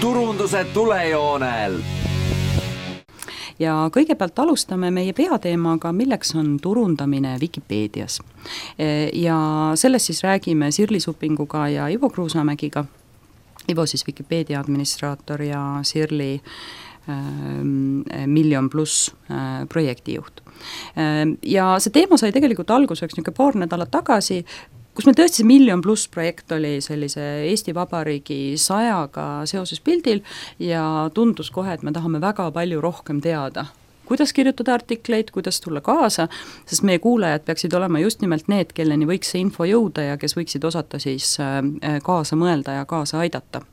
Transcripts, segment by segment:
turunduse tulejoonel. Ja kõigepealt alustame meie peateemaga, milleks on turundamine Vikipeedias. Ja sellest siis räägime Sirli Supinguga ja Ivo Kruusamägiga. Ivo siis Vikipeedia administraator ja Sirli Miljon Pluss projektijuht. Ja see teema sai tegelikult alguseks paar nädalat tagasi, kus meil tõesti see Miljon Pluss projekt oli sellise Eesti Vabariigi 100-ga seoses pildil ja tundus kohe, et me tahame väga palju rohkem teada. Kuidas kirjutada artikleid, kuidas tulla kaasa, sest meie kuulajad peaksid olema just nimelt need, kelleni võiks see info jõuda ja kes võiksid osata siis kaasa mõelda ja kaasa aidata.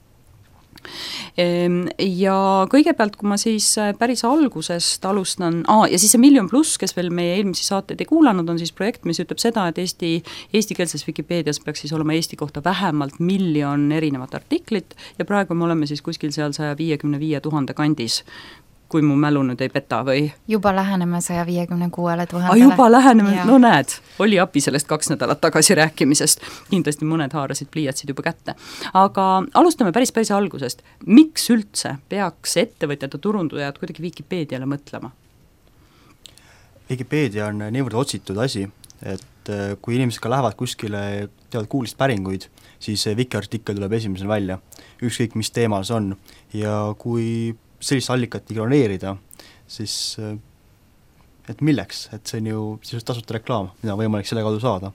Ja kõigepealt, kui ma siis päris algusest alustan, ja siis see Miljon Pluss, kes veel meie eelmisi saateid ei kuulanud, on siis projekt, mis ütleb seda, et eestikeelses Vikipeedias peaks siis olema Eesti kohta vähemalt 1 miljon erinevat artiklit ja praegu me oleme siis kuskil seal 155 000 kandis, kui mu mälu nüüd ei peta või? Juba läheneme 156 000. Juba läheneme, no näed, oli api sellest 2 nädalat tagasi rääkimisest. Kindlasti mõned haarasid pliiatsid juba kätte. Aga alustame päris algusest. Miks üldse peaks ettevõtjad ja turundujad kuidagi Vikipeediale mõtlema? Vikipeedia on niivõrd otsitud asi, et kui inimesed ka lähevad kuskile, teevad kuulist päringuid, siis Viki-artikkel tuleb esimesel välja. Ükskõik mis teemal see on. Ja kui sellist allikat ignoreerida, siis et milleks, et see on ju sisuliselt tasuta reklaam, mida on võimalik selle kaudu saada.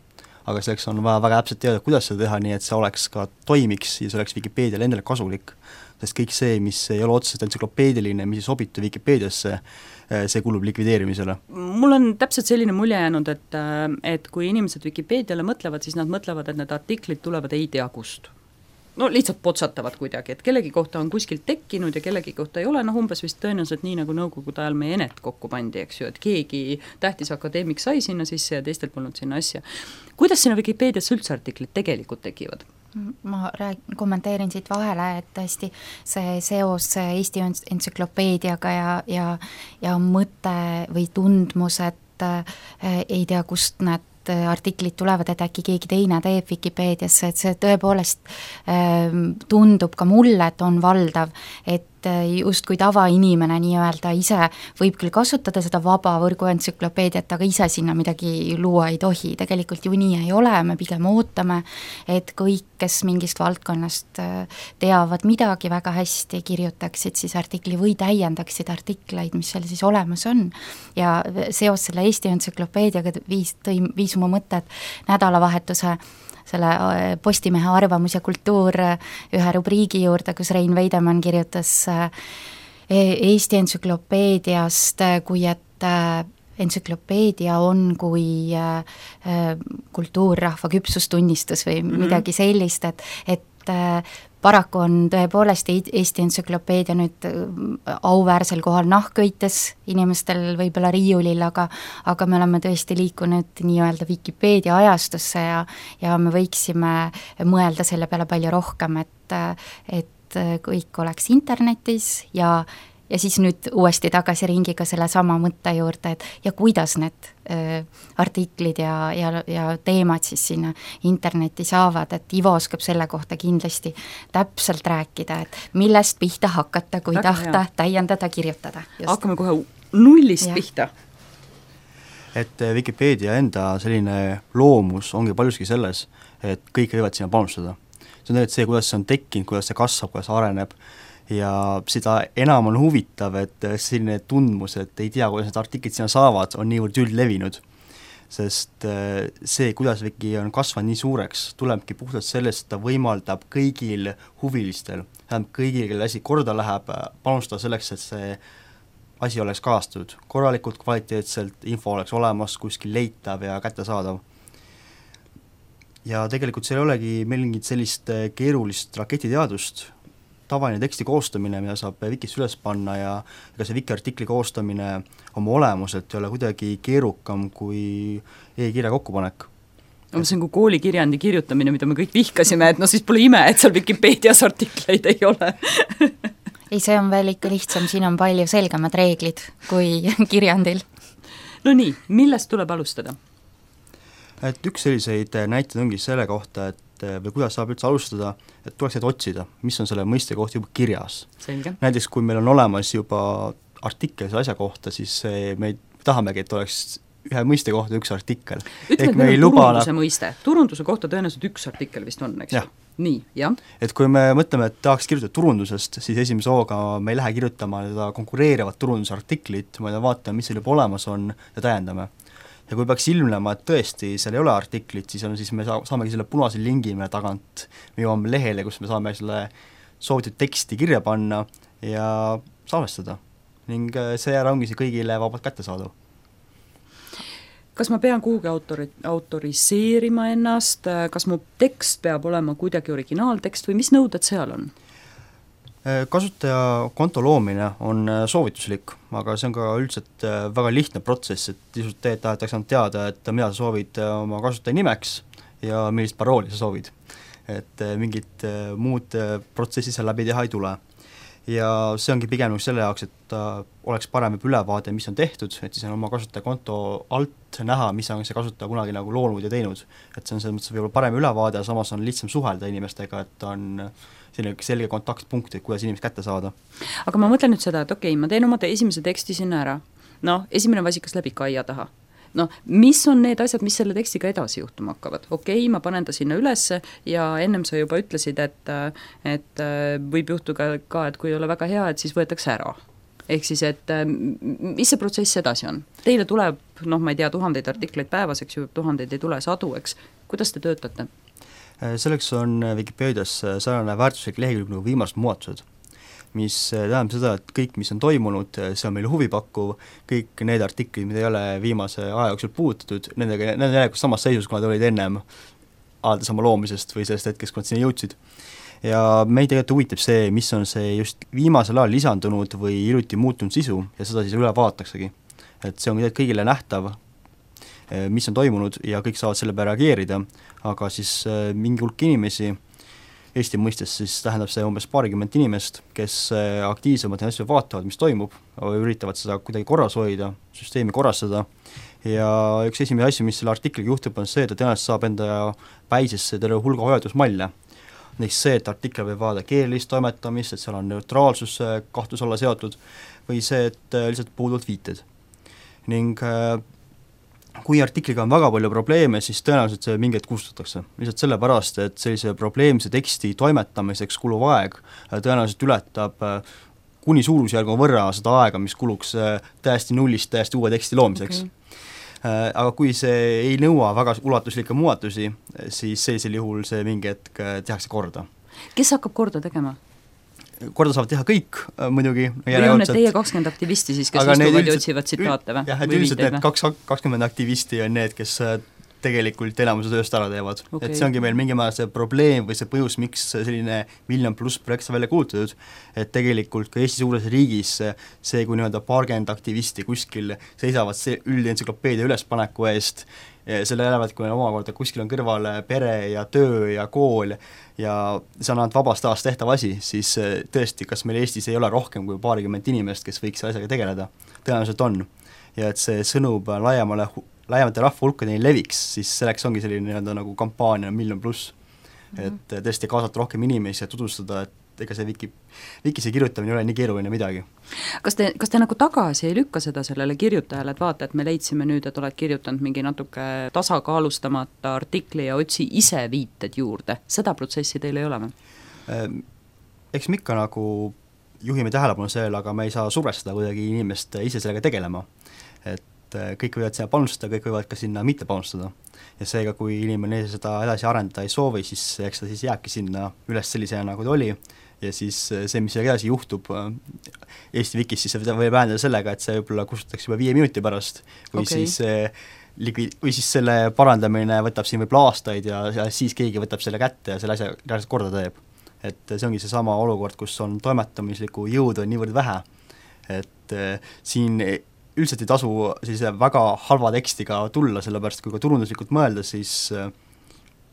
Aga selleks on vaja väga täpselt teada, kuidas seda teha, nii et see oleks ka toimiks ja see oleks Vikipeediale endale kasulik. Sest kõik see, mis ei ole otseselt entsüklopeediline, mis ei sobitu Vikipeediasse, see kulub likvideerimisele. Mul on täpselt selline mulje jäänud, et kui inimesed Vikipeediale mõtlevad, siis nad mõtlevad, et need artiklid tulevad ei tea kust. No lihtsalt potsatavad kuidagi, et kellegi kohta on kuskilt tekkinud ja kellegi kohta ei ole, umbes vist tõenäoliselt nii, nagu nõukogude ajal meie Enet kokku pandi, eks ju, et keegi tähtis akadeemik sai sinna sisse ja teistel polnud sinna asja. Kuidas sinna Vikipeedias üldse artiklid tegelikult tekivad? Ma kommenteerin siit vahele, et tõesti see seos Eesti entsüklopeediaga ja mõte või tundmus, et ei tea, kust need artiklid tulevad, et äkki keegi teine teeb Vikipeediasse, et see tõepoolest tundub ka mulle, et on valdav, et just kui tavainimene nii-öelda ise võib küll kasutada seda vaba võrguentsüklopeediat, aga ise sinna midagi luua ei tohi. Tegelikult ju nii ei ole, me pigem ootame, et kõik, kes mingist valdkonnast teavad midagi väga hästi, kirjutaksid siis artikli või täiendaksid artikleid, mis seal siis olemas on. Ja seos selle Eesti entsüklopeediaga viis mu mõtted nädalavahetuse selle Postimehe arvamus ja kultuur ühe rubriigi juurde, kus Rein Veidemann kirjutas Eesti entsüklopeediast, kui et entsüklopeedia on kui kultuurrahva küpsustunnistus või midagi sellist, et paraku on tõepoolest Eesti entsüklopeedia nüüd auväärsel kohal nahkõites inimestel võib-olla riiulil, aga me oleme tõesti liikunud nii-öelda Vikipeedia ajastusse ja me võiksime mõelda selle peale palju rohkem, et kõik oleks internetis ja siis nüüd uuesti tagasi ringiga selle sama mõtte juurde, et ja kuidas need artiklid ja teemad siis sinna internetti saavad, et Ivo oskab selle kohta kindlasti täpselt rääkida, et millest pihta hakata, kui tahta täiendada, kirjutada. Hakkame kohe nullist pihta. Et Vikipeedia enda selline loomus ongi paljuski selles, et kõik võivad sinna panustada. See on see, kuidas see on tekkinud, kuidas see kasvab, kuidas see areneb, ja seda enam on huvitav, et selline tundmus, et ei tea, kuidas need artiklid sinna saavad, on niivõrd üldlevinud. Sest see, kuidas Viki on kasvanud nii suureks, tulebki puhtalt sellest, et ta võimaldab kõigil huvilistel, kõigil, kelle asi korda läheb, panustada selleks, et see asi oleks kajastatud. Korralikult, kvaliteetselt, info oleks olemas, kuskil leitav ja kättesaadav. Ja tegelikult see ei olegi mingit sellist keerulist raketiteadust, tavaline teksti koostamine, mida saab Vikis üles panna ja ega see Viki-artikli koostamine oma olemuselt ei ole kuidagi keerukam kui e-kirja kokkupanek. See on kui koolikirjandi kirjutamine, mida me kõik vihkasime, et siis pole ime, et seal Vikipeedias artikleid ei ole. Ei, see on veel ikka lihtsam, siin on palju selgemad reeglid kui kirjandil. No nii, millest tuleb alustada? Et üks selliseid näiteid ongi selle kohta, et või kuidas saab üldse alustada, et tuleks neid otsida, mis on selle mõiste kohta juba kirjas. Näiteks kui meil on olemas juba artikkel selle asja kohta, siis me tahamegi, et oleks ühe mõiste kohta üks artikkel. Ütleme, et meil on turunduse mõiste. Turunduse kohta tõenäoliselt üks artikkel vist on, eks? Nii, jah. Et kui me mõtleme, et tahaks kirjutada turundusest, siis esimese hooga me ei lähe kirjutama seda konkureerivat turundusartiklit, vaid vaatame, mis seal juba olemas on ja täiendame. Ja kui peaks ilmnema, et tõesti seal ei ole artiklit, siis me saamegi selle punase lingi meile tagant, me jõuame lehele, kus me saame selle soovitud teksti kirja panna ja salvestada. Ning seejärel ongi see kõigile vabalt kättesaadav. Kas ma pean kuhugi autoriseerima ennast, kas mu tekst peab olema kuidagi originaaltekst või mis nõuded seal on? Kasutaja konto loomine on soovituslik, aga see on ka üldiselt väga lihtne protsess, et lihtsalt tahetakse teada, et mida sa soovid oma kasutaja nimeks ja millist parooli sa soovid. Et mingit muud protsessi seal läbi teha ei tule. Ja see ongi pigem selle jaoks, et oleks parem ülevaade, mis on tehtud, et siis on oma kasutaja konto alt näha, mis on see kasutaja kunagi nagu loonud ja teinud. Et see on selles mõttes võib-olla parem ülevaade, samas on lihtsam suhelda inimestega, et on selline selge kontaktpunkt, et kuidas inimest kätte saada. Aga ma mõtlen nüüd seda, et okei, ma teen oma esimese teksti sinna ära. Esimene vasikas läbi kaia taha. Mis on need asjad, mis selle tekstiga edasi juhtuma hakkavad? Okei, ma panen ta sinna ülesse ja ennem sa juba ütlesid, et võib juhtuda ka, et kui ei ole väga hea, et siis võetakse ära. Ehk siis, et mis see protsess edasi on? Teile tuleb, ma ei tea, 1000 artikleid päevas, eks ju, 1000 ei tule sadu, eks. Kuidas te töötate? Selleks on Wikipedias sarnane väärtuslik lehekülg nagu viimased muudatused, mis tähendab seda, et kõik, mis on toimunud, see on meile huvipakkuv, kõik need artiklid, mida ei ole viimase aja jooksul puututud, need on järelikult samas seisus, kui nad olid ennem alates oma loomisest või sellest hetkest, kui nad sinna jõudsid. Ja meid tegelikult huvitab see, mis on see just viimasel ajal lisandunud või hiljuti muutunud sisu ja seda siis üle vaataksegi. Et see on kõigile nähtav, mis on toimunud ja kõik saavad selle peale reageerida, aga siis mingi hulk inimesi Eesti mõistes siis tähendab see umbes 20 inimest, kes aktiivsemalt ja asju vaatavad, mis toimub, üritavad seda kuidagi korras hoida, süsteemi korrastada ja üks esimene asju, mis selle artikliga juhtub, on see, et ta tõenäoliselt saab enda päisesse terve hulga hoiatusmalle. Näiteks see, et artikkel võib vaadata keelelist toimetamist, et seal on neutraalsus kahtlus olla seotud või see, et lihtsalt puuduvad viited. Ning kui artikliga on väga palju probleeme, siis tõenäoliselt see mingit kustutatakse. Lihtsalt sellepärast, et sellise probleemse teksti toimetamiseks kuluv aeg tõenäoliselt ületab kuni suurusjärgu võrra seda aega, mis kuluks täiesti nullist täiesti uue teksti loomiseks. Aga kui see ei nõua väga ulatuslikke muudatusi, siis sellisel juhul see mingi hetk tehakse korda. Kes hakkab korda tegema? Korda saavad teha kõik muidugi. Või on need teie 20 aktivisti siis, kes istuvad ja otsivad tsitaate või? Jah, et üldiselt need 20 aktivisti on need, kes tegelikult enamuse tööst ära teevad. Okay. Et see ongi meil mingi määral see probleem või see põhjus, miks selline 1 miljon+ projekt välja kuulutatud, et tegelikult ka Eesti suures riigis see, kui paarkümmend aktivisti kuskil seisavad see üldensüklopeedia ülespaneku eest, selle jälevad, kui omakorda kuskil on kõrval pere ja töö ja kool ja see on ainult vabast ajast tehtav asi, siis tõesti, kas meil Eestis ei ole rohkem kui 20 inimest, kes võiks asjaga tegeleda? Tõenäoliselt on. Ja et see sõnum laiemate rahva hulkadeni leviks, siis selleks ongi selline nagu kampaania 1 miljon+. Et tõesti kaasata rohkem inimesi ja tutvustada, et ega see Wikisse kirjutamine ei ole nii keeruline midagi. Kas te nagu tagasi ei lükka seda sellele kirjutajale, et vaata, et me leidsime nüüd, et oled kirjutanud mingi natuke tasakaalustamata artikli ja otsi ise viited juurde? Seda protsessi teil ei ole või? Eks me ikka nagu juhime tähelepanu sellele, aga me ei saa survestada kuidagi inimest ise sellega tegelema. Et kõik võivad sinna panustada, kõik võivad ka sinna mitte panustada. Ja seega, kui inimene seda edasi arendada ei soovi, siis eks ta siis jääbki sinna üles sellisena, nagu ta oli. Ja siis see, mis edasi juhtub Eesti Wikis, siis see võib vähendada sellega, et see võib-olla kustutatakse juba 5 minuti pärast või, okay. Või siis selle parandamine võtab siin võib-olla aastaid ja siis keegi võtab selle kätte ja selle asja reaalselt korda teeb. Et see ongi see sama olukord, kus on toimetamisliku jõud on niivõrd vähe, et siin üldiselt ei tasu sellise väga halva tekstiga tulla, sellepärast kui ka turunduslikult mõelda, siis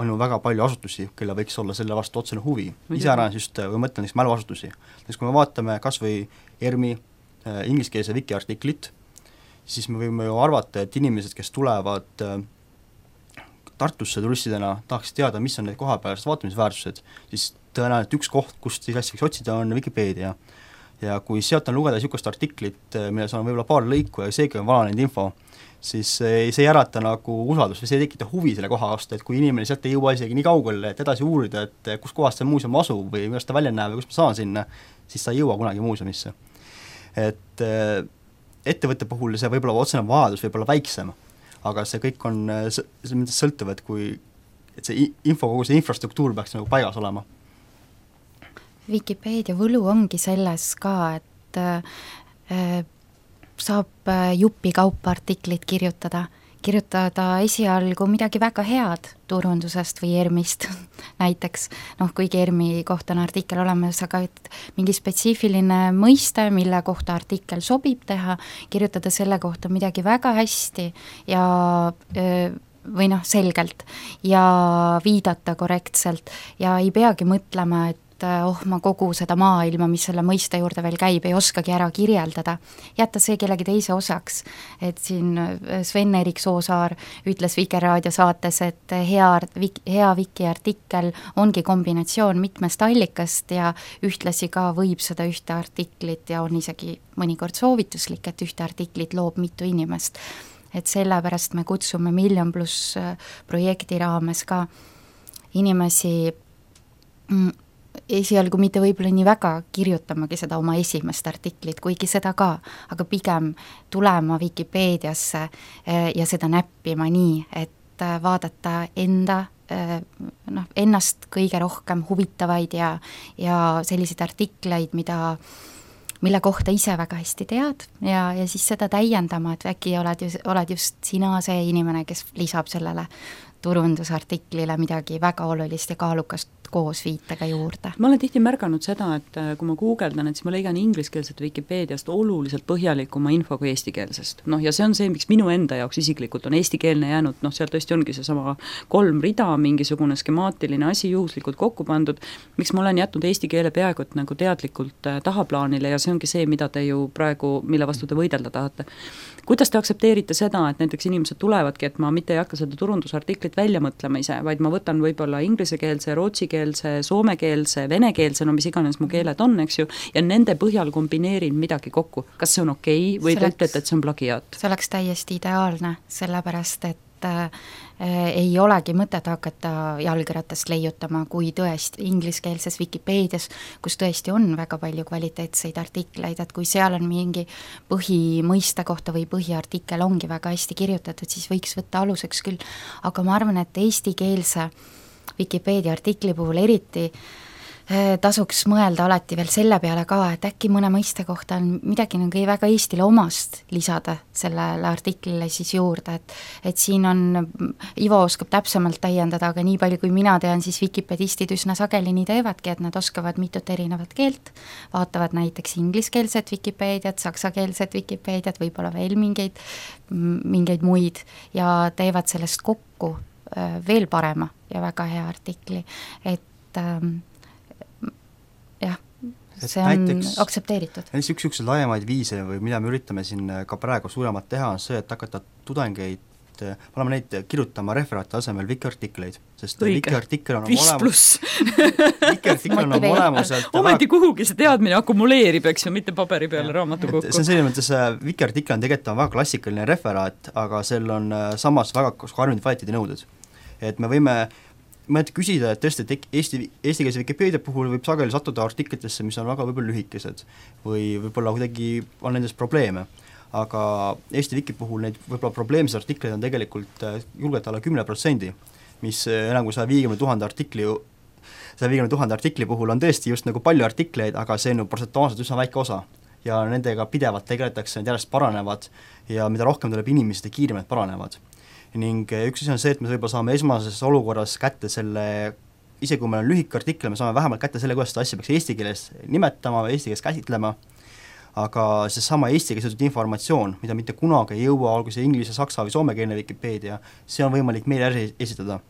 on ju väga palju asutusi, kelle võiks olla selle vastu otsene huvi. Iseäranis just, või mõtlen näiteks mäluasutusi. Näiteks kui me vaatame kas või ERMi ingliskeelse Wiki artiklit, siis me võime ju arvata, et inimesed, kes tulevad Tartusse turistidena tahaks teada, mis on need kohapealsed vaatamisväärsused, siis tõenäoliselt üks koht, kust siis asja võiks otsida, on Wikipeedia. Ja kui sealt on lugeda niisugust artiklit, milles on võib-olla paar lõiku ja seegi on vananenud info, siis see ei ärata nagu usaldust või see ei tekita huvi selle koha vastu, et kui inimene sealt ei jõua isegi nii kaugele, et edasi uurida, et kus kohas see muuseum asub või millest ta välja näeb või kus ma saan sinna, siis ta ei jõua kunagi muuseumisse. Et ettevõtte puhul see võib-olla otsene vajadus võib olla väiksem, aga see kõik on selles mõttes sõltuv, et kui et see info, kogu see infrastruktuur peaks nagu paigas olema. Wikipeedia võlu ongi selles ka, et saab jupi kaupa artiklit kirjutada esialgu midagi väga head turundusest või ERM-ist näiteks, kuigi ERM-i kohta on artikkel olemas, aga et mingi spetsiifiline mõiste, mille kohta artikkel sobib teha, kirjutada selle kohta midagi väga hästi ja või selgelt ja viidata korrektselt ja ei peagi mõtlema, et ma kogu seda maailma, mis selle mõiste juurde veel käib, ei oskagi ära kirjeldada. Jätta see kellegi teise osaks. Et siin Sven-Erik Soosaar ütles Vikerraadio saates, et hea Wiki artikkel ongi kombinatsioon mitmest allikast ja ühtlasi ka võib seda ühte artiklit ja on isegi mõnikord soovituslik, et ühte artiklit loob mitu inimest. Et sellepärast me kutsume Miljon Pluss projekti raames ka inimesi esialgu mitte võib-olla nii väga kirjutamagi seda oma esimest artiklit, kuigi seda ka, aga pigem tulema Wikipeediasse ja seda näppima nii, et vaadata ennast kõige rohkem huvitavaid ja selliseid artikleid, mille kohta ise väga hästi tead ja siis seda täiendama, et äkki oled just sina see inimene, kes lisab sellele turundusartiklile midagi väga olulist ja kaalukast koos viitega juurde. Ma olen tihti märganud seda, et kui ma guugeldan, et siis ma leian ingliskeelset Wikipeediast oluliselt põhjalikuma info kui eestikeelsest. Ja see on see, miks minu enda jaoks isiklikult on eestikeelne jäänud, seal tõesti ongi see sama 3 rida, mingisugune skemaatiline asi juhuslikult kokku pandud, miks ma olen jätnud eesti keele peaaegu nagu teadlikult tahaplaanile ja see ongi see, mida te ju praegu, mille vastu te võidelda tahate. Kuidas te aktsepteerite seda, et näiteks inimesed tulevadki, et ma mitte ei hakka seda turundusartiklit välja mõtlema ise, vaid ma võtan võib-olla inglisekeelse, rootsikeelse, soomekeelse, venekeelse, mis iganes mu keeled on, eks ju, ja nende põhjal kombineerin midagi kokku. Kas see on okei või te ütlete, et see on plagiaat? See oleks täiesti ideaalne, sellepärast, et ei olegi mõtet hakata jalgratast leiutama, kui tõesti ingliskeelses Wikipeedias, kus tõesti on väga palju kvaliteetseid artikleid, et kui seal on mingi põhimõiste kohta või põhiartikkel ongi väga hästi kirjutatud, siis võiks võtta aluseks küll, aga ma arvan, et eestikeelse Wikipeedia artikli puhul eriti tasuks mõelda alati veel selle peale ka, et äkki mõne mõiste kohta on midagi nagu väga Eestile omast lisada sellele artiklile siis juurde, et siin on, Ivo oskab täpsemalt täiendada, aga nii palju kui mina tean, siis wikipedistid üsna sageli nii teevadki, et nad oskavad mitut erinevat keelt, vaatavad näiteks ingliskeelset Wikipeediat, saksakeelset Wikipeediat, võib-olla veel mingeid muid ja teevad sellest kokku veel parema ja väga hea artikli, et see on näiteks aktsepteeritud. Üks laiemaid viise või mida me üritame siin ka praegu suuremalt teha, on see, et hakata tudengeid, oleme neid kirjutama referaati asemel Wiki-artikleid, sest Wiki-artikkel on olemuselt ometi kuhugi see teadmine akumuleerib, eks ju, mitte paberi peale raamatu kokku. See on selline mõttes, Wiki-artikkel on tegelikult väga klassikaline referaat, aga sel on samas väga karmid kvaliteedinõuded. Et me võime küsida, et tõesti, et eestikeelse Wikipeedia puhul võib sageli sattuda artiklitesse, mis on väga võib-olla lühikesed või võib-olla kuidagi on nendes probleeme, aga Eesti Wiki puhul neid võib-olla probleemsed artikleid on tegelikult julgelt alla 10%, mis enam kui 150 000 artikli puhul on tõesti just nagu palju artikleid, aga see on protsentuaalselt üsna väike osa ja nendega pidevalt tegeletakse, need järjest paranevad ja mida rohkem tuleb inimesi, seda kiiremalt paranevad. Ning üks asi on see, et me võib-olla saame esmases olukorras kätte selle, isegi kui meil on lühike artikkel, me saame vähemalt kätte selle, kuidas seda asja peaks eesti keeles nimetama või eesti keeles käsitlema, aga see sama eesti keeles informatsioon, mida mitte kunagi ei jõua, olgu see inglise, saksa või soomekeelne Wikipeedia, see on võimalik meile esitada.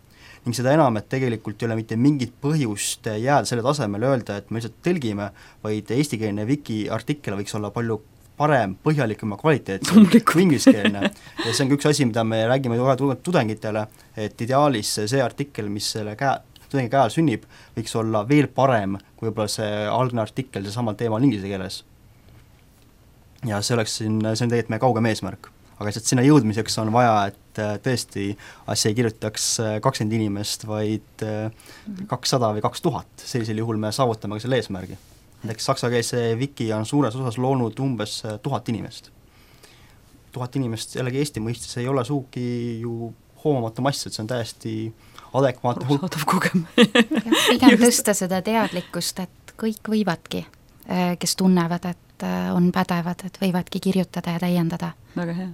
Ning seda enam, et tegelikult ei ole mitte mingit põhjust jääda selle tasemele öelda, et me lihtsalt tõlgime, vaid eestikeelne Wiki artikkel võiks olla palju parem, põhjalikum ja kvaliteetsem kui ingliskeelne. Ja see on üks asi, mida me räägime tudengitele, et ideaalis see artikkel, mis selle tudengi käel sünnib, võiks olla veel parem kui võib-olla see algne artikkel seesamal teemal inglise keeles. Ja see on tegelikult meie kaugem eesmärk. Aga sinna jõudmiseks on vaja, et tõesti asja ei kirjutaks 20 inimest, vaid 200 või 2000. Sellisel juhul me saavutame ka selle eesmärgi. Näiteks saksakeelse wiki on suures osas loonud umbes 1000 inimest. 1000 inimest jällegi Eesti mõistes ei ole suugi ju hoomamatu mass, et see on täiesti adekvaatne hulk. Arusaadav kogem. Pigem tõsta seda teadlikkust, et kõik võivadki, kes tunnevad, et on pädevad, et võivadki kirjutada ja täiendada. Väga hea.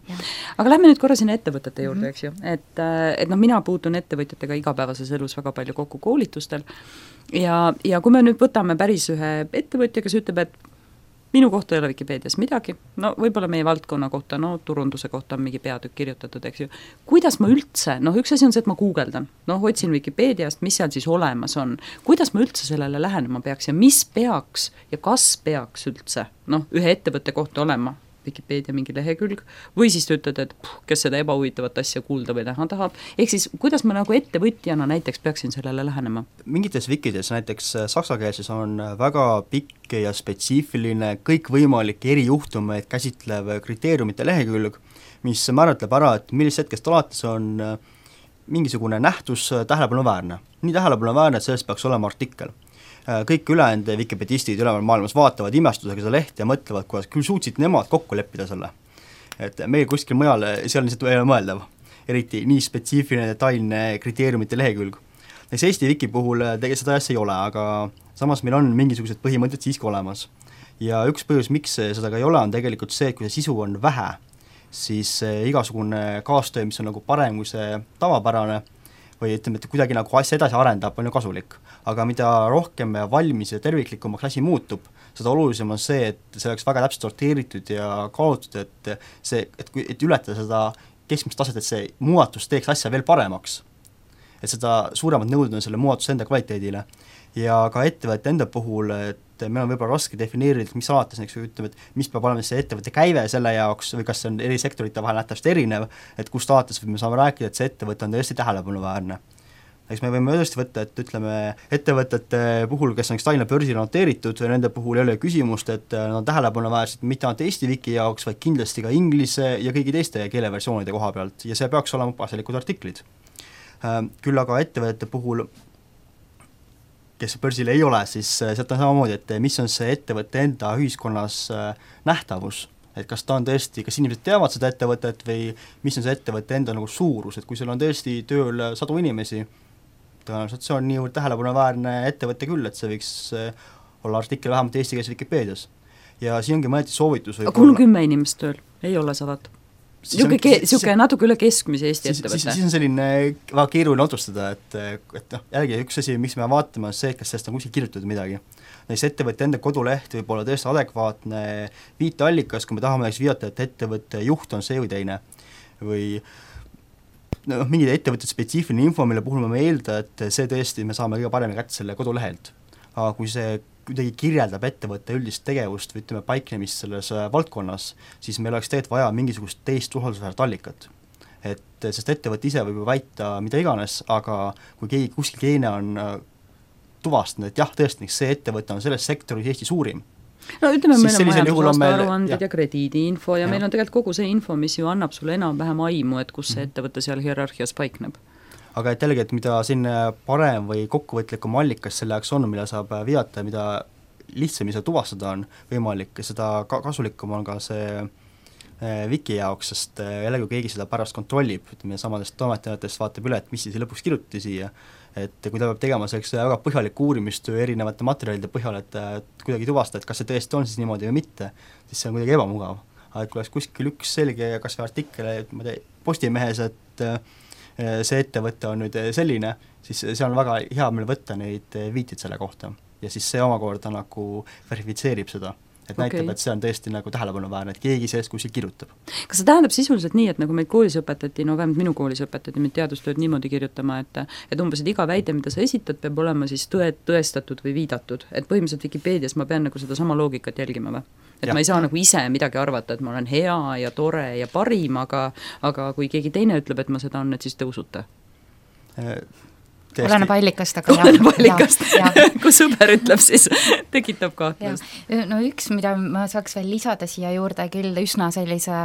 Aga lähme nüüd korra sinna ettevõtete juurde, eks ju, et mina puutun ettevõtjatega igapäevases elus väga palju kokku koolitustel ja kui me nüüd võtame päris ühe ettevõtja, kes ütleb, et minu kohta ei ole Vikipeedias midagi, no võib-olla meie valdkonna kohta, no turunduse kohta on mingi peatükk kirjutatud, eks ju. Kuidas ma üldse, üks asi on see, et ma guugeldan, otsin Vikipeediast, mis seal siis olemas on, kuidas ma üldse sellele lähenema peaks ja mis peaks ja kas peaks üldse, ühe ettevõtte kohta olema Vikipeedia mingi lehekülg, või siis te ütlete, et kes seda ebahuvitavat asja kuulda või näha tahab, ehk siis kuidas ma nagu ettevõtjana näiteks peaksin sellele lähenema? Mingites wikides, näiteks saksakeelses on väga pikk ja spetsiifiline kõikvõimalik erijuhtumeid käsitlev kriteeriumite lehekülg, mis määratleb ära, et millisest hetkest alates on mingisugune nähtus tähelepanuväärne. Nii tähelepanuväärne, et sellest peaks olema artikkel. Kõik ülejäänud wikipedistid üleval maailmas vaatavad imestusega seda lehti ja mõtlevad, kuidas küll suutsid nemad kokku leppida selle. Et meil kuskil mujal, see on lihtsalt ei ole mõeldav, eriti nii spetsiifiline detailne kriteeriumite lehekülg. Näiteks Eesti wiki puhul tegelikult seda asja ei ole, aga samas meil on mingisugused põhimõtted siiski olemas. Ja üks põhjus, miks seda ka ei ole, on tegelikult see, et kui see sisu on vähe, siis igasugune kaastöö, mis on nagu parem kui see tavapärane, või ütleme, et kuidagi nagu asja edasi arendab, on ju kasulik. Aga mida rohkem valmis ja terviklikumaks asi muutub, seda olulisem on see, et see oleks väga täpselt sorteeritud ja kaalutud, et ületada seda keskmist taset, et see muudatus teeks asja veel paremaks. Et seda suuremad nõuded on selle muudatuse enda kvaliteedile. Ja ka ettevõtte enda puhul, et meil on võib-olla raske defineerida, mis alates, ütleme, et mis peab olema see ettevõtte käive selle jaoks või kas see on eri sektorite vahel nähtavasti erinev, et kust alates me saame rääkida, et see ettevõte on tõesti tähelepanuväärne. Eks me võime tõesti võtta, et ütleme, ettevõtete puhul, kes on Tallinna börsil noteeritud, nende puhul ei ole küsimust, et nad on tähelepanuväärsed mitte ainult Eesti wiki jaoks, vaid kindlasti ka inglise ja kõigi teiste keeleversioonide koha pealt ja see peaks olema asjalikud artiklid. Küll aga ettevõtete puhul, kes börsil ei ole, siis sealt on samamoodi, et mis on see ettevõtte enda ühiskonnas nähtavus, et kas ta on tõesti, kas inimesed teavad seda ettevõtet või mis on see ettevõtte enda nagu suurus, et kui seal on tõesti tööl 100 inimesi, tõenäoliselt see on niivõrd tähelepanuväärne ettevõtte küll, et see võiks olla artikkel vähemalt eesti keeles Wikipedias. Ja siin ongi mõneti soovitus aga kui on 10 inimest tööl, ei ole 100? Niisugune natuke üle keskmise Eesti ettevõtte. Siis on selline väga keeruline otsustada, et jällegi üks asi, miks me vaatame, on see, et kas sellest on kuskil kirjutatud midagi. Näiteks ettevõtte enda koduleht võib olla tõesti adekvaatne viiteallikas, kui me tahame viidata, et ettevõtte juht on see või teine. Või mingi ettevõtte spetsiifiline info, mille puhul me eelda, et see tõesti me saame kõige paremini kätte selle kodulehelt. Aga kui see kuidagi kirjeldab ettevõtte üldist tegevust või ütleme paiknemist selles valdkonnas, siis meil oleks tegelikult vaja mingisugust teist usaldusväärt allikat. Sest ettevõtte ise võib väita mida iganes, aga kui keegi kuskil teine on tuvastanud, et jah, tõesti, see ettevõte on selles sektoris Eesti suurim. No ütleme, meil on majandusaasta aruanded ja krediidiinfo ja meil on tegelikult kogu see info, mis ju annab sulle enam-vähem aimu, et kus see ettevõte seal hierarhias paikneb. Aga et jällegi, et mida siin parem või kokkuvõtlikum allikas selle jaoks on, mille saab viidata, mida lihtsam seda tuvastada on võimalik, seda kasulikum on ka see wiki jaoks, sest jällegi kui keegi seda pärast kontrollib, ütleme samadest toimetajatest vaatab üle, et mis siis lõpuks kirjutati siia, et kui ta peab tegema selleks väga põhjalikku uurimistöö erinevate materjalide põhjal, et kuidagi tuvastada, et kas see tõesti on siis niimoodi või mitte, siis see on kuidagi ebamugav. Aga et kui oleks kuskil üks selge kas või artikkel Postimehes, et see ettevõte on nüüd selline, siis see on väga hea meil võtta neid viitid selle kohta ja siis see omakorda nagu verifitseerib seda, et näitab, et see on tõesti nagu tähelepanuväärne, et keegi sellest kuskil kirjutab. Kas see tähendab sisuliselt nii, et nagu meid koolis õpetati, no vähemalt minu koolis õpetati meid teadustööd niimoodi kirjutama, et umbes, et iga väide, mida sa esitad, peab olema siis tõestatud või viidatud, et põhimõtteliselt Vikipeedias ma pean nagu seda sama loogikat jälgima või? Et ma ei saa nagu ise midagi arvata, et ma olen hea ja tore ja parim, aga kui keegi teine ütleb, et ma seda on, et siis te usute? Oleneb allikast, aga oleneb allikast, kui sõber ütleb, siis tekitab kahtlust. No üks, mida ma saaks veel lisada siia juurde, küll üsna sellise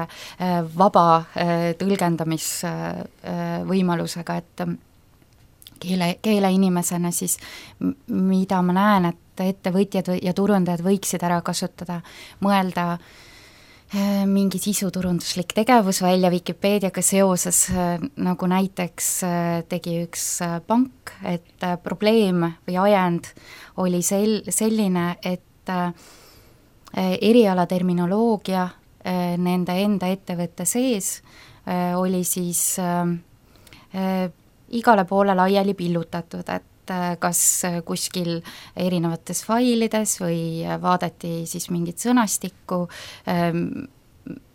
vaba tõlgendamisvõimalusega, et keeleinimesena siis, mida ma näen, et ettevõtjad ja turundajad võiksid ära kasutada, mõelda mingi sisuturunduslik tegevus välja Vikipeediaga seoses, nagu näiteks tegi üks pank, et probleem või ajend oli selline, et erialaterminoloogia nende enda ettevõtte sees oli siis igale poole laiali pillutatud, et kas kuskil erinevates failides või vaadati siis mingit sõnastikku,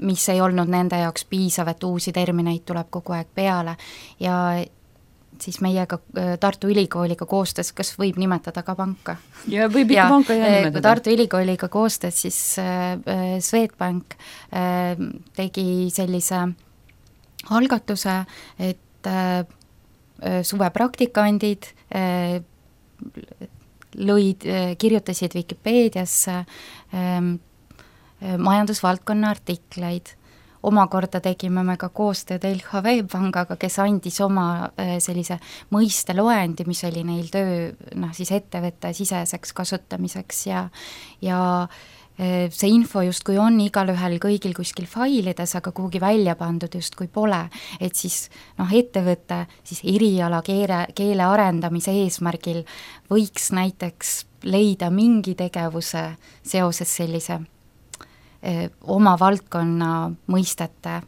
mis ei olnud nende jaoks piisav, et uusi termineid tuleb kogu aeg peale ja siis meiega Tartu Ülikooliga koostöös, kas võib nimetada ka panka? Ja võib ikka panka nimetada. Tartu Ülikooliga koostöös siis Swedbank tegi sellise algatuse, et suvepraktikandid kirjutasid Vikipeediasse majandusvaldkonna artikleid. Omakorda tegime me ka koostööd LHV pangaga, kes andis oma sellise mõisteloendi, mis oli neil töö siis ettevõtte siseseks kasutamiseks ja see info justkui on igalühel kõigil kuskil failides, aga kuhugi välja pandud justkui pole, et siis ettevõte siis eriala keele arendamise eesmärgil võiks näiteks leida mingi tegevuse seoses sellise oma valdkonna mõistete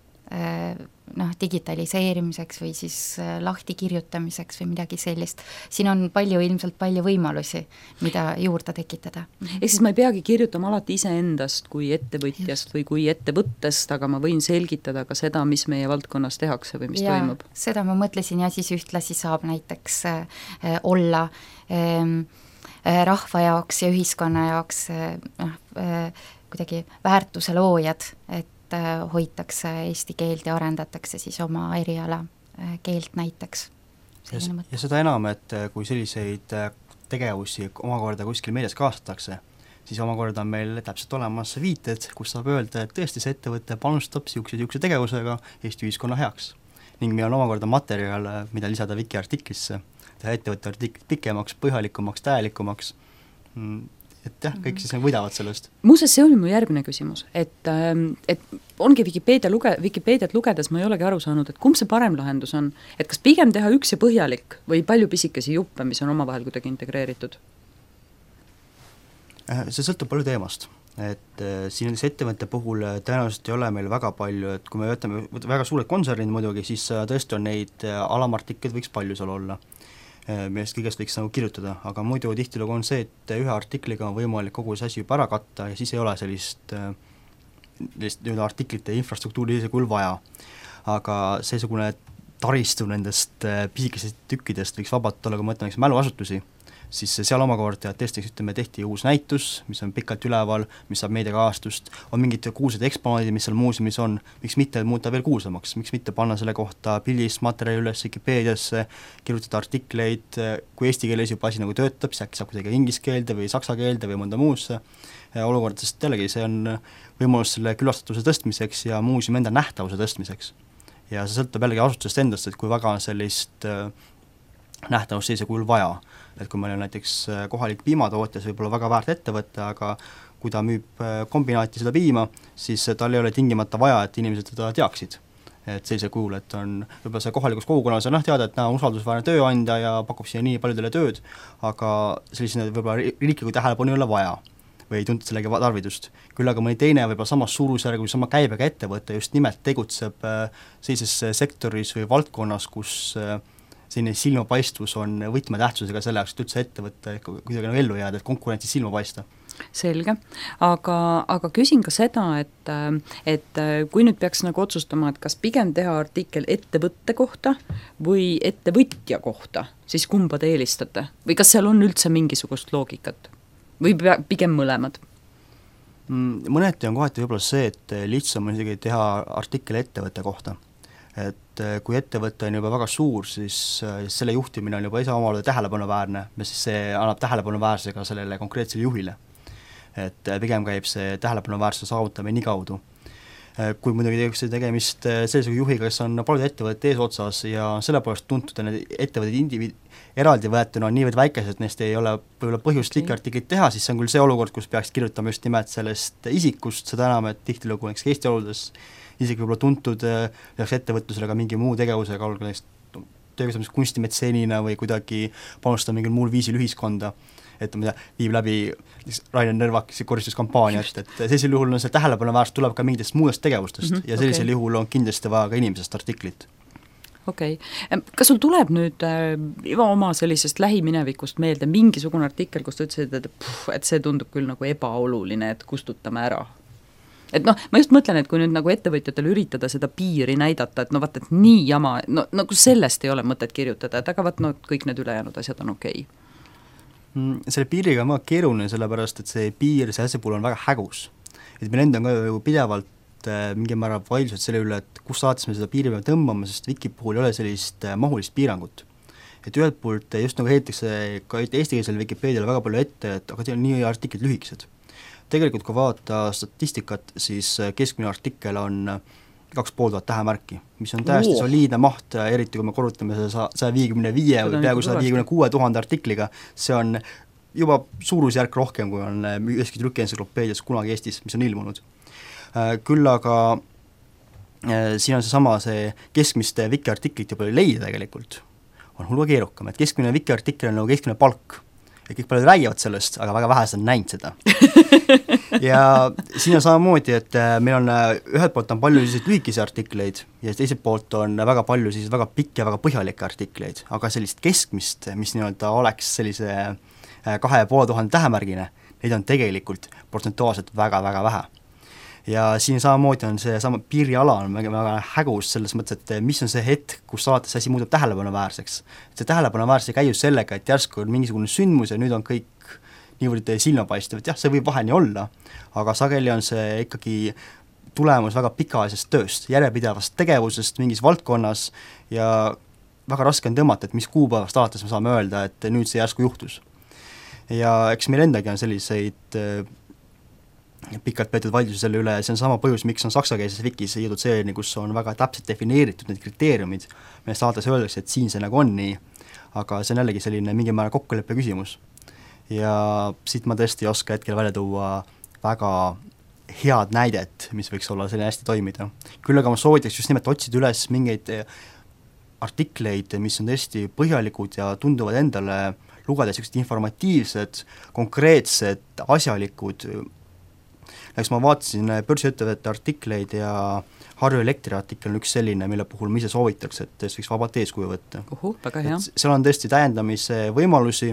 digitaliseerimiseks või siis lahti kirjutamiseks või midagi sellist. Siin on ilmselt palju võimalusi, mida juurde tekitada. Ehk siis ma ei peagi kirjutama alati iseendast kui ettevõtjast või kui ettevõttest, aga ma võin selgitada ka seda, mis meie valdkonnas tehakse või mis toimub. Seda ma mõtlesin ja siis ühtlasi saab näiteks olla rahva jaoks ja ühiskonna jaoks kuidagi väärtuse loojad, et hoitakse eesti keelt ja arendatakse siis oma eriala keelt näiteks. Ja seda enam, et kui selliseid tegevusi omakorda kuskil meedias kaasatakse, siis omakorda on meil täpselt olemas viited, kus saab öelda, et tõesti see ettevõte panustab siukse tegevusega Eesti ühiskonna heaks. Ning meil on omakorda materjal, mida lisada Viki artiklisse, teha ettevõtte artiklit pikemaks, põhjalikumaks, täielikumaks, et jah, kõik siis võidavad sellest. Muuseas, see oli mu järgmine küsimus, et ongi Vikipeediat lugedes ma ei olegi aru saanud, et kumb see parem lahendus on, et kas pigem teha üks ja põhjalik või palju pisikesi juppe, mis on omavahel kuidagi integreeritud? See sõltub palju teemast, et siin nendes ettevõtte puhul tõenäoliselt ei ole meil väga palju, et kui me võtame väga suured kontsernid muidugi, siis tõesti on neid alamartikleid võiks palju seal olla, millest kõigest võiks nagu kirjutada, aga muidu tihtilugu on see, et ühe artikliga on võimalik kogu see asi juba ära katta ja siis ei ole sellist artiklite infrastruktuuri sellisel kujul vaja. Aga seesugune taristu nendest pisikesest tükkidest võiks vabalt olla, kui ma mõtlen mäluasutusi, siis seal omakorda tõesti tehti uus näitus, mis on pikalt üleval, mis saab meediakajastust, on mingid kuulsad eksponaadid, mis seal muuseumis on, miks mitte muuta veel kuulsamaks, miks mitte panna selle kohta pildist materjali üles Wikipeediasse, kirjutada artikleid, kui eesti keeles juba asi nagu töötab, siis äkki saab kuidagi inglise keelde või saksa keelde või mõnda muusse olukorda, sest jällegi see on võimalus selle külastatuse tõstmiseks ja muuseumi enda nähtavuse tõstmiseks. Ja see sõltub jällegi asutusest endast, et kui väga on sellist nähtavust sellise kujul vaja, et kui meil on näiteks kohalik piimatootja, see võib olla väga väärt ettevõte, aga kui ta müüb kombinaati seda piima, siis tal ei ole tingimata vaja, et inimesed teda teaksid. Et sellise kujul, et on võib-olla see kohalikus kogukonnas on teada, et on usaldusväärne tööandja ja pakub siia nii paljudele tööd, aga sellisena võib-olla riikliku tähelepanu ei ole vaja või ei tuntud sellegi tarvidust. Küll aga mõni teine võib-olla samas suurusjärgu või sama käibega ettevõte just nimelt tegutseb sellises sektoris või valdkonnas, kus selline silmapaistvus on võtmetähtsusega selle jaoks, et üldse ettevõtte kuidagi ellu jääda, et konkurentsis silma paista. selge, aga küsin ka seda, et kui nüüd peaks nagu otsustama, et kas pigem teha artikkel ettevõtte kohta või ettevõtja kohta, siis kumba te eelistate? Või kas seal on üldse mingisugust loogikat? Või pigem mõlemad? Mõneti on kohati võib-olla see, et lihtsam on isegi teha artikkel ettevõtte kohta. Et kui ettevõte on juba väga suur, siis selle juhtimine on juba omamoodi tähelepanuväärne, siis see annab tähelepanuväärse ka sellele konkreetsele juhile. Et pigem käib see tähelepanuväärsuse saavutamine nii kaudu. Kui muidugi tegemist sellise juhiga, kes on paljud ettevõtted eesotsas ja sellepärast tuntud, et need ettevõtted eraldi võetuna on niivõrd väikesed, et neist ei ole võib-olla põhjust liikartiklit teha, siis see on küll see olukord, kus peaks kirjutama just nimelt sellest isikust, seda enam, et tihtilugu näiteks Eesti oludes isegi võib-olla tuntud peaks ettevõtlusele ka mingi muu tegevusega, töökasvamis kunstimetseenina või kuidagi panustada mingil muul viisil ühiskonda, et viib läbi Rainer Nõrvakisi koristuskampaaniat, et sellisel juhul on see tähelepanuväärsus tuleb ka mingitest muudest tegevustest ja sellisel juhul on kindlasti vaja ka inimesest artiklit. Okei. Kas sul tuleb nüüd oma sellisest lähiminevikust meelde mingisugune artikkel, kus ta ütlesid, et see tundub küll nagu ebaoluline, et kustutame ära? Et ma just mõtlen, et kui nüüd nagu ettevõtjatel üritada seda piiri näidata, et vaata, et nii jama, nagu sellest ei ole mõtet kirjutada, et aga kõik need ülejäänud asjad on okei. Selle piiriga on väga keeruline, sellepärast, et see piir, see asja puhul on väga hägus. Et meil enda on ka ju pidevalt mingi määral vaidlused selle üle, et kus saates me seda piiri peame tõmbama, sest Wiki puhul ei ole sellist mahulist piirangut. Et ühelt poolt just nagu heitakse ka eestikeelsele Wikipeediale väga palju ette, et aga teil on nii artiklid lühikesed. Tegelikult kui vaadata statistikat, siis keskmine artikkel on 2500 tähemärki, mis on täiesti soliidne maht, eriti kui me korrutame 155 või peaaegu 156 000 artikliga, see on juba suurusjärk rohkem, kui on üheski trükientsüklopeedias kunagi Eestis, mis on ilmunud. Küll aga siin on see keskmiste Wiki artiklit juba leida tegelikult, on hulga keerukam, et keskmine Wiki artikkel on nagu keskmine palk. Ja kõik paljud räägivad sellest, aga väga vähesed on näinud seda. Ja siin on samamoodi, et meil on ühelt poolt on palju lühikesi artikleid ja teiselt poolt on väga palju väga pikki ja väga põhjalikke artikleid, aga sellist keskmist, mis nii-öelda oleks sellise 2500 tähemärgine, neid on tegelikult protsentuaalselt väga-väga vähe. Ja siin samamoodi on see sama piiriala on väga hägus selles mõttes, et mis on see hetk, kus saates asi muutub tähelepanuväärseks. See tähelepanuväärsus ei käi just sellega, et järsku on mingisugune sündmus ja nüüd on kõik niivõrd silmapaistev, et jah, see võib vahel nii olla, aga sageli on see ikkagi tulemus väga pikaajalisest tööst, järjepidevast tegevusest mingis valdkonnas ja väga raske on tõmmata, et mis kuupäevast alates me saame öelda, et nüüd see järsku juhtus. Ja eks meil endagi on selliseid pikalt peetud vaidlusi selle üle ja see on sama põhjus, miks on saksakeelses Wikis jõudnud selline, kus on väga täpselt defineeritud need kriteeriumid, mille saates öeldakse, et siin see nagu on nii, aga see on jällegi selline mingi määra kokkuleppe küsimus. Ja siit ma tõesti ei oska hetkel välja tuua väga head näidet, mis võiks olla selline hästi toimida. Küll aga ma soovitaks just nimelt otsida üles mingeid artikleid, mis on tõesti põhjalikud ja tunduvad endale lugeda sellised informatiivsed, konkreetsed, asjalikud. Näiteks ma vaatasin börsiettevõtete artikleid ja Harju Elektri artikkel on üks selline, mille puhul ma ise soovitaks, et võiks vabalt eeskuju võtta. Väga hea. Seal on tõesti täiendamise võimalusi,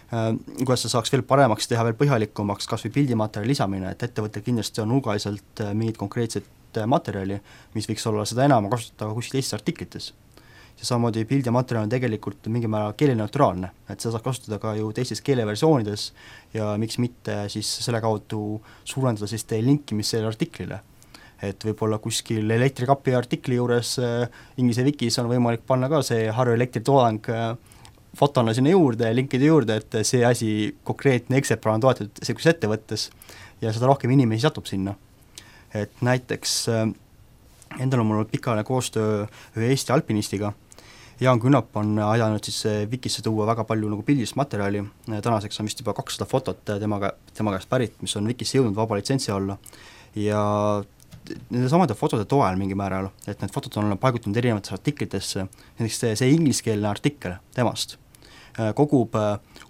kuidas sa saaks veel paremaks teha, veel põhjalikumaks, kas või pildimaterjali lisamine, et ettevõttel kindlasti on hulgaliselt mingit konkreetset materjali, mis võiks olla seda enam kasutada kuskil teistes artiklites. Ja samamoodi pildimaterjal on tegelikult mingi määra keeleneutraalne, et seda saab kasutada ka ju teistes keeleversioonides ja miks mitte siis selle kaudu suurendada siis teie linkimist selle artiklile. Et võib-olla kuskil elektrikapi artikli juures inglise Wikis on võimalik panna ka see Harju Elektri toodang fotona sinna juurde, linkide juurde, et see asi konkreetne eksemplar on toetatud sellises ettevõttes ja seda rohkem inimesi satub sinna. Et näiteks endal on mul olnud pikaajaline koostöö ühe Eesti alpinistiga. Jaan Künnap on aidanud siis Wikisse tuua väga palju nagu pildist materjali, tänaseks on vist juba 200 fotot tema käest pärit, mis on Wikisse jõudnud vaba litsentsi alla ja nende samade fotode toel mingi määral, et need fotod on paigutunud erinevatesse artiklitesse, näiteks see ingliskeelne artikkel temast kogub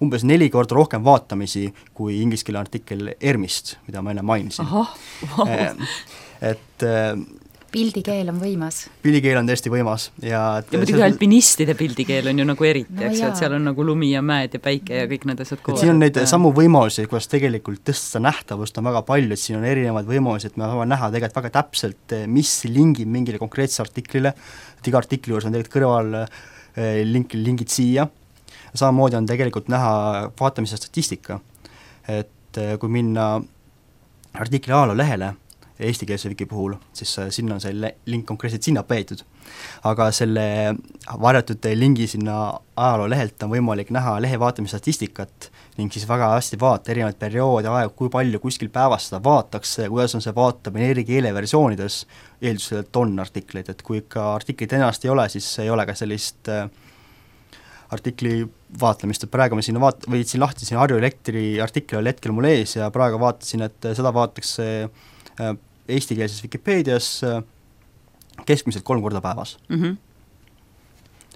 umbes 4 korda rohkem vaatamisi kui ingliskeelne artikkel ERMist, mida ma enne mainisin. Aha, wow. Et pildikeel on võimas. Pildikeel on tõesti võimas ja muidugi alpinistide pildikeel on ju nagu eriti, No eks ju, jaa. et seal on nagu lumi ja mäed ja päike ja kõik need asjad koos. siin on neid samu võimalusi, kuidas tegelikult tõsta nähtavust on väga palju, et siin on erinevaid võimalusi, et me saame näha tegelikult väga täpselt, mis lingib mingile konkreetsele artiklile, et iga artikli juures on tegelikult kõrval lingid siia, samamoodi on tegelikult näha vaatamise statistika, et kui minna artikli ajaloolehele eestikeelse wiki puhul, siis sinna on see link konkreetselt sinna peetud. Aga selle varjatud lingi sinna ajaloolehelt on võimalik näha lehe vaatamise statistikat ning siis väga hästi vaata erinevaid perioode, aegu, kui palju kuskil päevas seda vaadatakse, kuidas on see vaatamine eri keeleversioonides, eeldusel, et on artikleid, et kui ikka artiklit ennast ei ole, siis ei ole ka sellist artikli vaatlemist, et praegu ma siin võitsin lahti siin Harju Elektri artikkel oli hetkel mul ees ja praegu vaatasin, et seda vaadatakse eestikeelses Vikipeedias keskmiselt 3 korda päevas.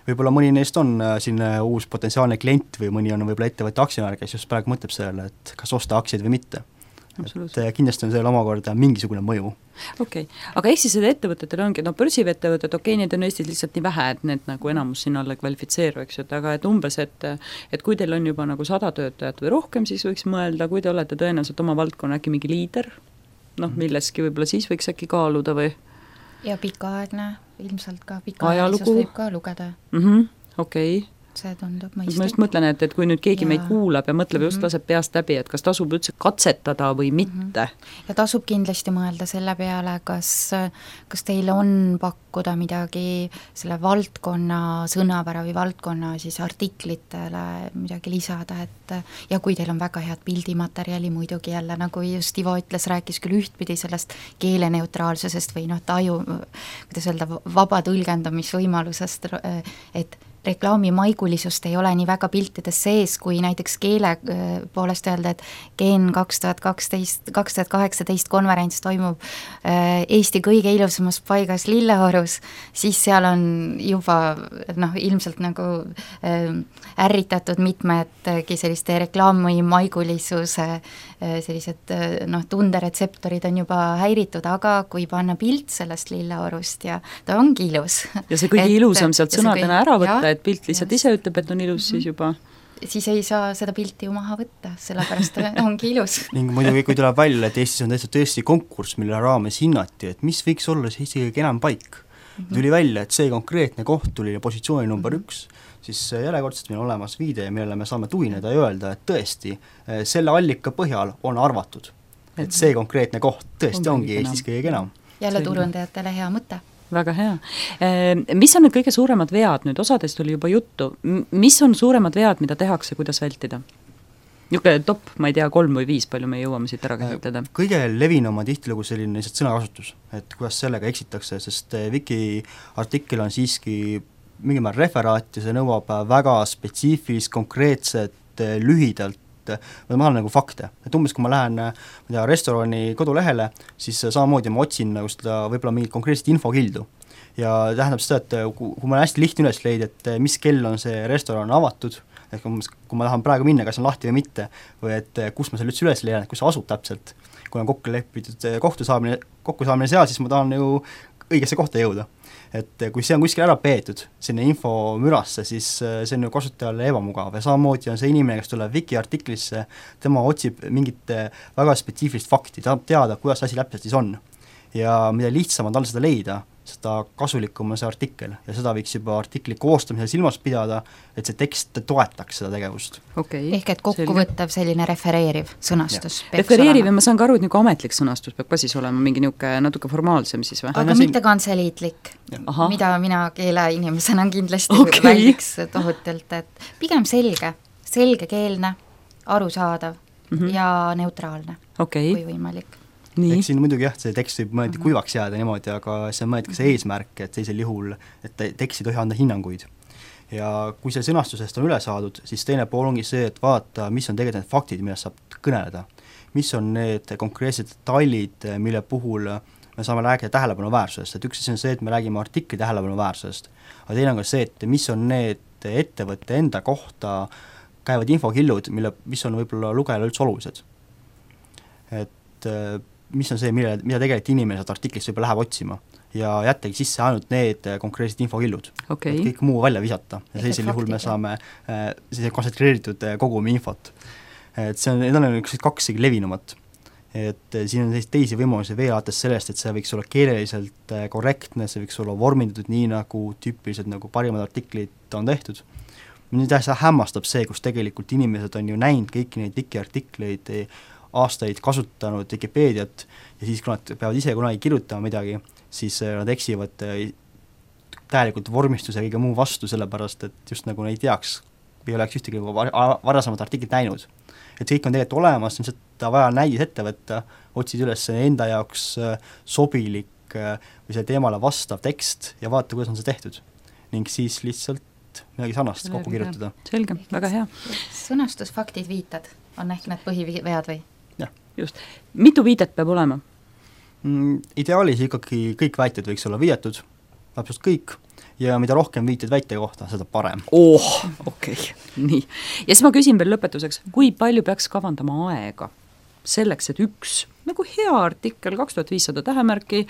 Võib-olla mõni neist on siin uus potentsiaalne klient või mõni on võib-olla ettevõtte aktsionär, kes just praegu mõtleb sellele, et kas osta aktsiaid või mitte. Et kindlasti on sellel omakorda mingisugune mõju. Okei. Aga ehk siis seda ettevõtetel ongi, börsivettevõtted, neid on Eestis lihtsalt nii vähe, et need nagu enamus sinna alla kvalifitseeru, eks ju, aga et umbes, et kui teil on juba nagu 100 töötajat või rohkem, siis võiks mõelda, kui te olete tõenäoliselt oma valdkonna äkki mingi liider, milleski võib-olla siis võiks äkki kaaluda või? Ja pikaaegne, ilmselt ka pikaajalisus võib ka lugeda. Okei. See tundub ma mõistlik. just mõtlen, et kui nüüd keegi meid kuulab ja mõtleb just laseb peast läbi, et kas tasub üldse katsetada või mitte. Ja tasub kindlasti mõelda selle peale, kas teil on pakkuda midagi selle valdkonna sõnapära või valdkonna siis artiklitele midagi lisada, et ja kui teil on väga head pildimaterjali, muidugi jälle, nagu just Ivo ütles, rääkis küll ühtpidi sellest keeleneutraalsusest või taju, kuidas öelda, vaba tõlgendamisvõimalusest, et reklaami maigulisust ei ole nii väga piltides sees, kui näiteks keele poolest öelda, et Gen 2018 konverents toimub Eesti kõige ilusamas paigas Lilleorus, siis seal on juba ilmselt nagu ärritatud mitmedki selliste reklaami maigulisuse sellised tunderetseptorid on juba häiritud, aga kui panna pilt sellest Lilleorust ja ta ongi ilus. Ja see kõige ilusam sealt sõnadena ära võtta, et pilt lihtsalt ise ütleb, et on ilus, siis juba siis ei saa seda pilti ju maha võtta, sellepärast ongi ilus. Ning muidugi, kui tuleb välja, et Eestis on tõesti konkurss, mille raames hinnati, et mis võiks olla see Eesti kõige enam paik. Tuli välja, et see konkreetne koht tuli positsiooni number 1, siis järjekordselt meil on olemas viide, millele me saame tugineda ja öelda, et tõesti selle allika põhjal on arvatud, et see konkreetne koht tõesti ongi Eestis kõige enam. Jälle turundajatele hea mõte. Väga hea. Mis on need kõige suuremad vead, nüüd osadest oli juba juttu, mis on suuremad vead, mida tehakse, kuidas vältida? Niisugune top, ma ei tea, 3 või 5, palju me jõuame siit ära käsitleda? Kõige levinum on tihtilugu selline sõnakasutus, et kuidas sellega eksitakse, sest Wiki artikkel on siiski mingil määral referaat ja see nõuab väga spetsiifilist, konkreetset, lühidalt ma olen nagu fakte, et umbes kui ma lähen restorani kodulehele, siis samamoodi ma otsin nagu seda võib-olla mingit konkreetset infokildu ja tähendab seda, et kui ma hästi lihtne üles leida, et mis kell on see restoran avatud, ehk kui ma tahan praegu minna, kas on lahti või mitte, või et kus ma selle üldse üles leian, et kus see asub täpselt, kui on kokku lepitud kokkusaamine seal, siis ma tahan ju õigesse kohta jõuda. Et kui see on kuskil ära peetud, sinna info mürasse, siis see on ju kasutajale ebamugav ja samamoodi on see inimene, kes tuleb Wiki artiklisse, tema otsib mingit väga spetsiifilist fakti, tahab teada, kuidas asi täpselt siis on. Ja mida lihtsam on tal seda leida, seda kasulikum on see artikkel ja seda võiks juba artikli koostamisel silmas pidada, et see tekst toetaks seda tegevust. Ehk et kokkuvõttev selline refereeriv sõnastus. Refereeriv ja ma saan ka aru, et niisugune ametlik sõnastus peab ka siis olema mingi niisugune natuke formaalsem siis või? Aga mitte kantseliitlik, mida mina keeleinimesena kindlasti väldiks tohutult, et pigem selgekeelne, arusaadav ja neutraalne, kui võimalik. Eks siin muidugi jah, see tekst võib mõeldi kuivaks jääda niimoodi, aga see on mõeldi ka see eesmärk, et sellisel juhul, et tekst ei tohi anda hinnanguid. Ja kui see sõnastusest on üle saadud, siis teine pool ongi see, et vaata, mis on tegelikult need faktid, millest saab kõneleda. Mis on need konkreetsed detailid, mille puhul me saame rääkida tähelepanuväärsusest, et üks asi on see, et me räägime artikli tähelepanuväärsusest, aga teine on ka see, et mis on need ettevõtte enda kohta käivad infokillud, mis on võib-olla lugejale üldse olulised. Et mis on see, mida tegelikult inimene sealt artiklist võib-olla läheb otsima. ja jättagi sisse ainult need konkreetsed infokillud. Okay. Et kõik muu välja visata ja sellisel juhul me saame sellise kontsentreeritud kogumi infot. Et see on, need on üks kaks levinumat. Et siin on teisi võimalusi veel alates sellest, et see võiks olla keeleliselt korrektne, see võiks olla vormindatud nii, nagu tüüpiliselt nagu parimad artiklid on tehtud. Nüüd hämmastab see, kus tegelikult inimesed on ju näinud kõiki neid Wiki-artikleid, aastaid kasutanud Wikipeediat ja siis, kui nad peavad ise kunagi kirjutama midagi, siis nad eksivad täielikult vormistuse ja kõige muu vastu, sellepärast et just nagu neid teaks, ei oleks ühtegi varasemat artiklit näinud. Et kõik on tegelikult olemas, lihtsalt vaja näidis ette võtta, otsid üles enda jaoks sobilik või see teemale vastav tekst ja vaata, kuidas on see tehtud. Ning siis lihtsalt midagi sarnast kokku kirjutada. Selge, väga hea. Sõnastusfaktid, viited on ehk need põhivead või? Jah. Just. Mitu viidet peab olema? Ideaalis ikkagi kõik väited võiks olla viidetud, täpselt kõik, ja mida rohkem viited väite kohta, seda parem. Okei. Nii. Ja siis ma küsin veel lõpetuseks, kui palju peaks kavandama aega selleks, et üks nagu hea artikkel, 2500 tähemärki,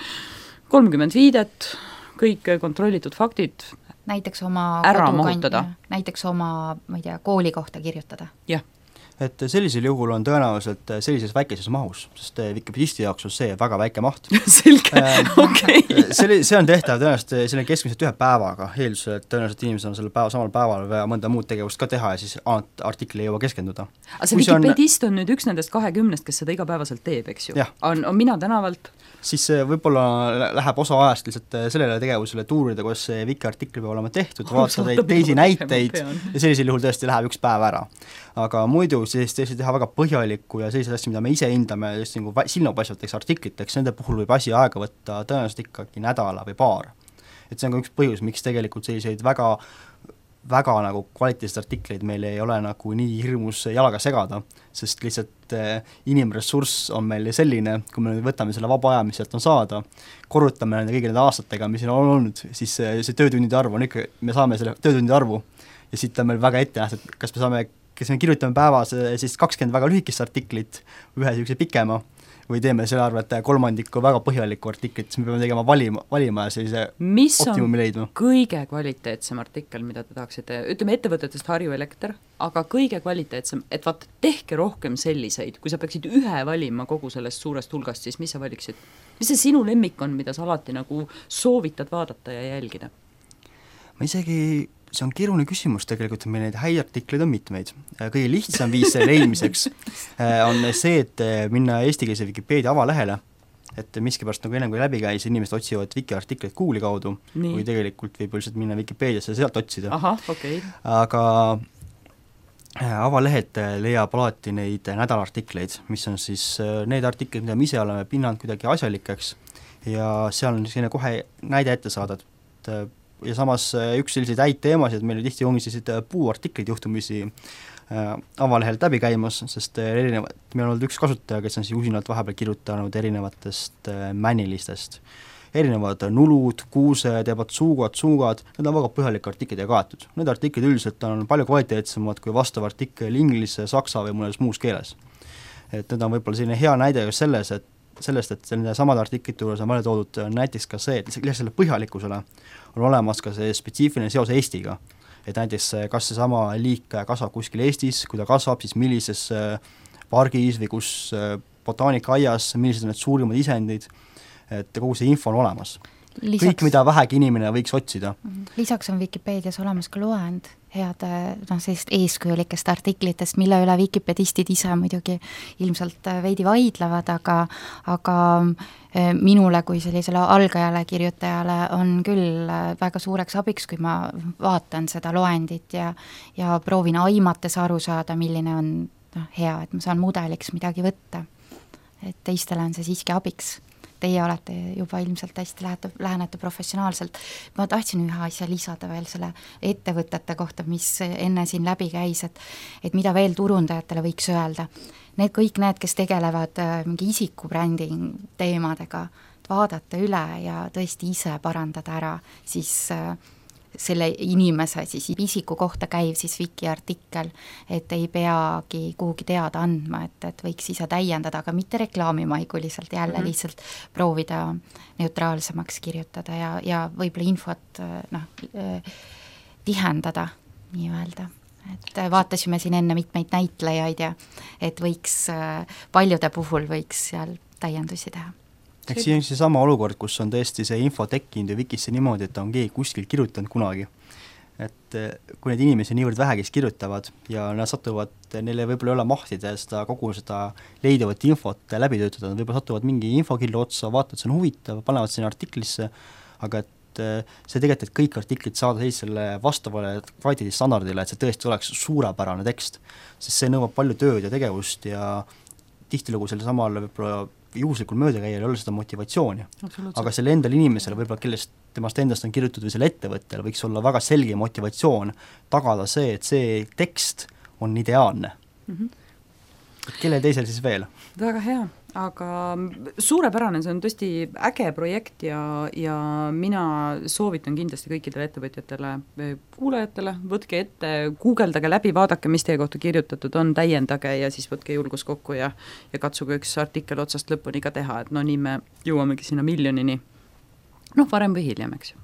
30 viidet, kõik kontrollitud faktid näiteks oma ära mahutada. Näiteks oma, ma ei tea, kooli kohta kirjutada. Jah. Et sellisel juhul on tõenäoliselt sellises väikeses mahus, sest Wikipedisti jaoks on see väga väike maht. Selge, okei. See on tehtav tõenäoliselt selle keskmiselt 1 päevaga, eeldusel, et tõenäoliselt inimesed on selle samal päeval või mõnda muud tegevust ka teha ja siis artikli ei jõua keskenduda. Aga see Wikipedist on nüüd üks nendest 20, kes seda igapäevaselt teeb, eks ju? On mina tänavalt? Siis võib-olla läheb osa ajast lihtsalt sellele tegevusele tuurida, kuidas see Wiki-artikli peab olema tehtud, vaadata teisi näiteid ja sellisel juhul tõesti läheb 1 päev ära. Aga muidu siis tõesti teha väga põhjalikku ja sellised asju, mida me ise hindame just nagu silmapaistvateks artikliteks, nende puhul võib asi aega võtta tõenäoliselt ikkagi nädala või paar. Et see on ka üks põhjus, miks tegelikult selliseid väga nagu kvaliteetseid artikleid meil ei ole nagu nii hirmus jalaga segada, sest lihtsalt inimressurss on meil selline, kui me võtame selle vaba aja, mis sealt on saada, korrutame nende kõigi nende aastatega, mis on olnud, siis see töötundide arv on ikka, me saame selle töötundide arvu ja siit on meil väga ette nähtud, kas me kirjutame päevas siis 20 väga lühikest artiklit, ühe sellise pikema, või teeme selle arvelt kolmandiku väga põhjalikku artiklit, siis me peame tegema valima ja sellise optimumi leidma. Mis on kõige kvaliteetsem artikkel, mida te tahaksite, ütleme ettevõtetest Harju Elekter, aga kõige kvaliteetsem, et vaat tehke rohkem selliseid, kui sa peaksid ühe valima kogu sellest suurest hulgast, siis mis sa valiksid? Mis see sinu lemmik on, mida sa alati nagu soovitad vaadata ja jälgida? Ma isegi see on keeruline küsimus tegelikult, meil neid häid artikleid on mitmeid. Kõige lihtsam viis selle leidmiseks on see, et minna eestikeelse Wikipeedia avalehele, et miskipärast nagu ennem kui läbi käis, inimesed otsivad Wiki-artikleid Google'i kaudu või tegelikult võib lihtsalt minna Wikipediasse ja sealt otsida. Okay. Aga avalehelt leiab alati neid nädalartikleid, mis on siis need artiklid, mida me ise oleme pinnanud kuidagi asjalikeks ja seal on selline kohe näide ette saada, ja samas üks selliseid häid teemasid, meil tihti ongi sellised puuartiklid juhtumisi avalehelt läbi käimas, sest meil on olnud üks kasutaja, kes on siis usinalt vahepeal kirjutanud erinevatest mänilistest. Erinevad nulud, kuused, suugad, need on väga põhjalik artiklid ja kaetud. Need artiklid üldiselt on palju kvaliteetsemad kui vastav artikkel inglise, saksa või mõnes muus keeles. Et need on võib-olla selline hea näide just sellest, et selline samad artiklite juures on välja toodud näiteks ka see, et lisaks selle põhjalikkusele on olemas ka see spetsiifiline seos Eestiga. Et näiteks kas see sama liik kasvab kuskil Eestis, kui ta kasvab, siis millises pargis või kus botaanikaaias, millised on need suurimad isendid, et kogu see info on olemas. Kõik, mida vähegi inimene võiks otsida. Lisaks on Wikipedias olemas ka loend head sellist eeskujulikest artiklitest, mille üle Wikipedistid ise muidugi ilmselt veidi vaidlevad, aga minule kui sellisele algajale kirjutajale on küll väga suureks abiks, kui ma vaatan seda loendit ja proovin aimates aru saada, milline on hea, et ma saan mudeliks midagi võtta. Et teistele on see siiski abiks. Teie olete juba ilmselt hästi lähenete professionaalselt. Ma tahtsin ühe asja lisada veel selle ettevõtete kohta, mis enne siin läbi käis, et mida veel turundajatele võiks öelda. Kõik need, kes tegelevad mingi isikubränding teemadega, vaadata üle ja tõesti ise parandada ära, siis selle inimese siis isiku kohta käiv siis Wiki artikkel, et ei peagi kuhugi teada andma, et võiks ise täiendada, aga mitte reklaamimaiguliselt, jälle lihtsalt proovida neutraalsemaks kirjutada ja võib-olla infot tihendada nii-öelda. Et vaatasime siin enne mitmeid näitlejaid ja et võiks, paljude puhul võiks seal täiendusi teha. Eks siin on seesama olukord, kus on tõesti see info tekkinud ja Wikisse niimoodi, et on keegi kuskil kirjutanud kunagi. Et kui need inimesi niivõrd vähe, kes kirjutavad ja nad satuvad, neile võib-olla ei ole mahtida seda kogu seda leiduvat infot läbi töötada, nad võib-olla satuvad mingi infokillu otsa, vaatavad, see on huvitav, panevad sinna artiklisse, aga et see tegelikult, et kõik artiklid saada sellisele vastavale kvaliteedistandardile, et see tõesti oleks suurepärane tekst, sest see nõuab palju tööd ja tegevust ja tihtilugu selle samal võib-olla juhuslikul möödakäijal ei ole seda motivatsiooni. Aga selle endal inimesel võib-olla, kellest temast endast on kirjutatud või selle ettevõttel, võiks olla väga selge motivatsioon tagada see, et see tekst on ideaalne. Kelle teisel siis veel? Väga hea, aga suurepärane, see on tõesti äge projekt ja mina soovitan kindlasti kõikidele ettevõtjatele, kuulajatele, võtke ette, guugeldage läbi, vaadake, mis teie kohta kirjutatud on, täiendage ja siis võtke julgus kokku ja katsuge üks artikkel otsast lõpuni ka teha, et nii me jõuamegi sinna miljonini, varem või hiljem, eks ju.